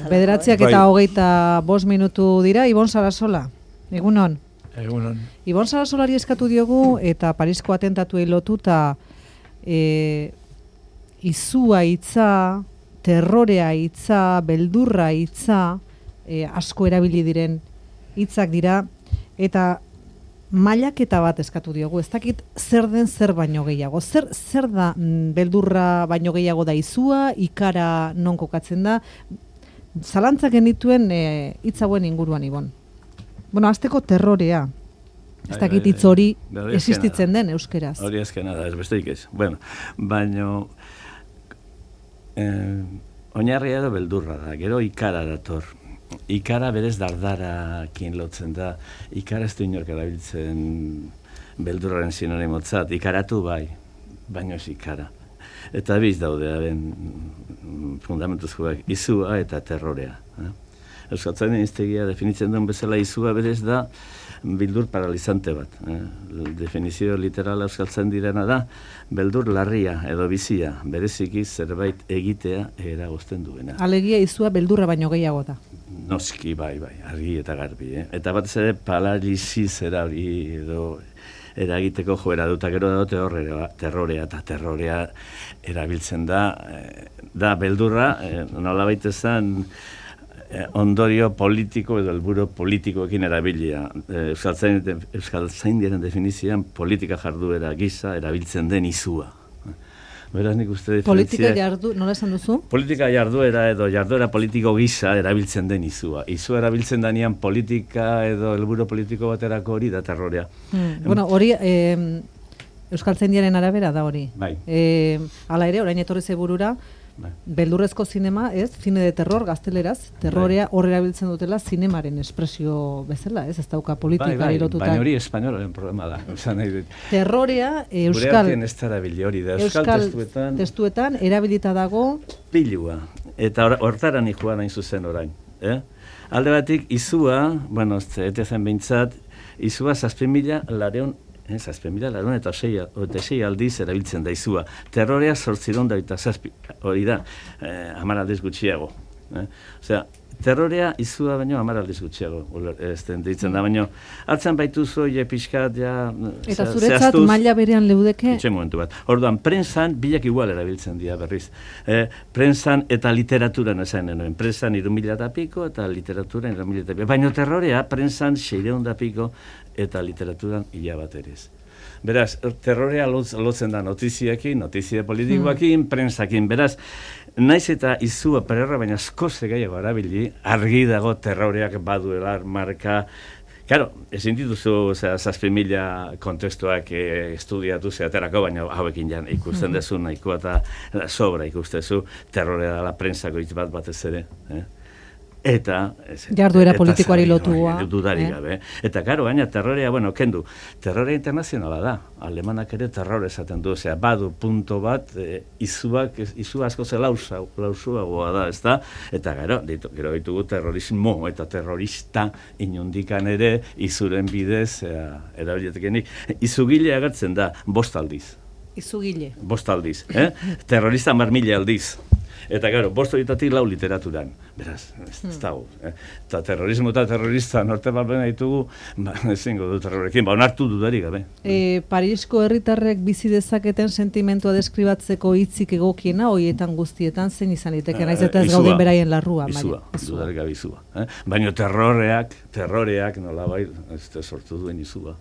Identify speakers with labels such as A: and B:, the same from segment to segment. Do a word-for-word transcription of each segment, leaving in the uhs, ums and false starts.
A: Bederatziak eta hogeita bost minutu dira, Ibon Sarasola. Egunon.
B: Egunon.
A: Ibon Sarasolari eskatu diogu eta Parisko atentatuei lotuta e, izua hitza, terrorea hitza, beldurra hitza, e, asko erabili diren hitzak dira, eta mailaketa bat eskatu diogu. Ez dakit zer den zer baino gehiago. Zer, zer da mm, beldurra baino gehiago da izua, ikara non kokatzen da, zalantzak genituen hitz e, hauen inguruan, Ibon. Bueno, azteko terrorea. Ez dakit hitz hori existitzen den euskeraz.
B: Hori ezkena da, ez besteik ez. Bueno, baino eh, oinarria edo beldurra da, gero ikara dator. Ikara berez dardarakin lotzen da. Ikara ez du inork erabiltzen beldurraren sinonimotzat. Ikaratu bai, baino ez ikara. Eta biz daude, haren fundamentuzkoak, izua eta terrorea. Eh? Euskaltzainen hiztegia definitzen duen bezala izua berez da bildur paralizante bat. Eh? Definizio literala euskaltzen direna da, beldur larria edo bizia, bereziki zerbait egitea eragozten duena.
A: Alegia izua beldurra baino gehiago da.
B: Noski, bai, bai, argi eta garbi. Eh? Eta batez ere paraliziz erabili edo eragiteko joera duta, gero da terrorea, terrorea eta terrorea erabiltzen da, da beldurra, nola baita zen, ondorio politiko edo helburu politikoekin erabilia. Euskaltzaindiaren definizioan politika jarduera gisa erabiltzen den izua. Beraz, nik uste diferentzia...
A: Politika jardu, nola esan duzu?
B: Politika jarduera edo jarduera politiko gisa erabiltzen den izua. Izua erabiltzen danean politika edo helburu politiko baterako hori da terrorea.
A: Hmm. Bueno, hori eh, Euskaltzaindiaren arabera da hori.
B: Bai.
A: Eh, hala ere, orain etorri zeburura, bai. Beldurrezko zinema, ez? Zine de terror, gazteleraz, terrorea hor erabiltzen dutela zinemaren espresio bezala, ez? Ez dauka politikari
B: bai, bai,
A: lotuta.
B: Baina hori espainolaren problema da.
A: Terrorea, euskal...
B: Gure artean ez da erabili hori da. Euskal, euskal testuetan...
A: testuetan erabilita dago...
B: Pilua. Eta hortaran ikuan hain zuzen orain. Eh? Alde batik, izua, bueno, ete zen behintzat, izua zazpimila lareun Zazpimila lareun eta sei aldiz erabiltzen da izua. Terrorea zortziron da eta zazpi, hori da, eh, hamar aldiz gutxiago. Eh? Osea, terrorea izua baino hamar aldiz gutxiago. Ez den ditzen da, baino, hartzen baitu zoi pixkat, ja...
A: Eta zuretzat maila berean leudeke?
B: Itxe momentu bat. Orduan, prensan bilak igual erabiltzen dira berriz. Eh, prensan eta literaturan esan denoen. Prensan irumila eta piko eta literaturan irumila eta piko. Baina terrorea, prensan seireun da piko eta literaturan ila bat erez. Beraz, terrorea lotzen da notiziakin, notizia politikoakin, mm. prensakin. Beraz, naiz eta izua pererra, baina askoz gehiago erabili, argi dago terroreak baduela marka. Claro, ezin dituzu zazpimila kontestuak eh, estudiatu zeaterako, baina hauekin jan ikusten dezu nahikoa eta sobra ikustezu terrorea dela prensako hitz bat batez ere. Eh? Eta...
A: jarduera politikoari lotua.
B: Dudarik gabe. Eta, karo, baina terrorea, bueno, kendu, terrorea internazionala da. Alemanak ere terror esaten du, osea, badu punto bat, e, izuak, izu asko ze lausa, lausuagoa da, ez da? Eta, gero, ditu, gero ditugu terrorismo eta terrorista inundikan ere, izuren bidez, e, erabilietekenik, izugile agertzen da, bost aldiz.
A: Izugile.
B: Bost aldiz, eh? Terrorista mar mila aldiz. Eta, gero, bost horietatik lau literaturan. Beraz, ez, ez dago. Eh? Eta terrorismo eta terrorista norte bat bena ditugu, ba, ezingo du terrorekin, ba, onartu dudarik gabe.
A: E, Parisko herritarrek bizi dezaketen sentimentua deskribatzeko hitzik egokiena, hoietan guztietan zein izan liteke, naiz eta ez gauden beraien larrua.
B: Izua, dudarik gabe izua. Eh? Baina terroreak, terroreak nolabait, ez sortu duen izua.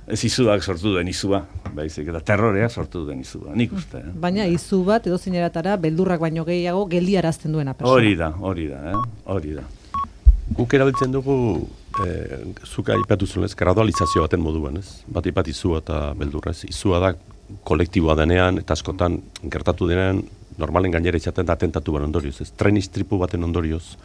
B: Ez izuak sortu duen izua, baizik, eta terroreak sortu duen izua, nik uste. Eh?
A: Baina izu bat, edo zineratara, beldurrak baino gehiago, geldiarazten duena persona.
B: Hori da, hori da, eh? hori da.
C: Guk erabiltzen dugu, eh, zuka ipatu zuen, ez, gradualizazio baten moduan, ez? Bat ipat izua eta beldurra, ez? Izua da kolektiboa denean, eta askotan gertatu denean, normalen gainera izaten da atentatu ban ondorioz, ez? Tren istripu baten ondorioz.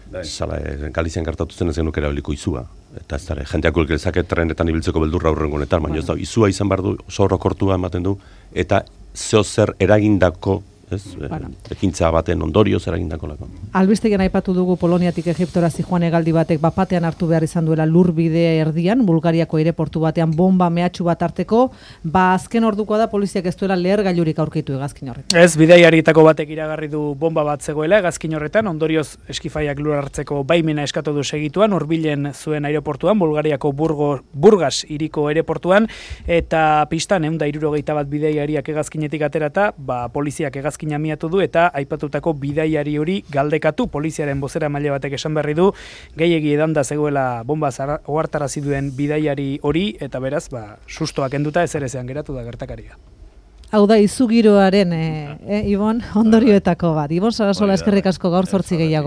C: Zala, Galizian gertatu zen ez genuke erabiliko izua. Eta ez dara, jendeak gulgezake trenetan ibiltzeko beldurra aurrengo honetan, baina ez da, izua izan behar du, oso orokortua ematen du, eta zeo zer eragindako ez?
A: Bueno.
C: Ekintza baten ondorioz eragindakolako.
A: Albistegian aipatu dugu Poloniatik Egiptora zijoan hegaldi batek bapatean hartu behar izan duela lurbide erdian, Bulgariako aireportu batean bomba mehatxu bat harteko, ba azken ordukoa da poliziak ez duela lehergailurik aurkitu hegazkin horretan.
D: Ez, bidaiarietako batek iragarri du bomba bat zegoela hegazkin horretan, ondorioz eskifaiak lur hartzeko baimena eskatu du segituan, hurbilen zuen aireportuan, Bulgariako Burgo, Burgas hiriko aireportuan, eta pistan ehun eta hirurogeita bat bidaiariak hegazkinetik aterata, ba poliziak hegazkina miatu du eta aipatutako bidaiari hori galdekatu. Poliziaren bozera maile batek esan berri du, gehiegi edanda zegoela bomba ohartarazi duen bidaiari hori, eta beraz, ba, sustoak enduta ezer ezean geratu da gertakaria.
A: Hau da, izugiroaren, e, e, Ibon, ondorioetako bat. Ibon Sarasola eskerrik asko gaur zortzi gehiago.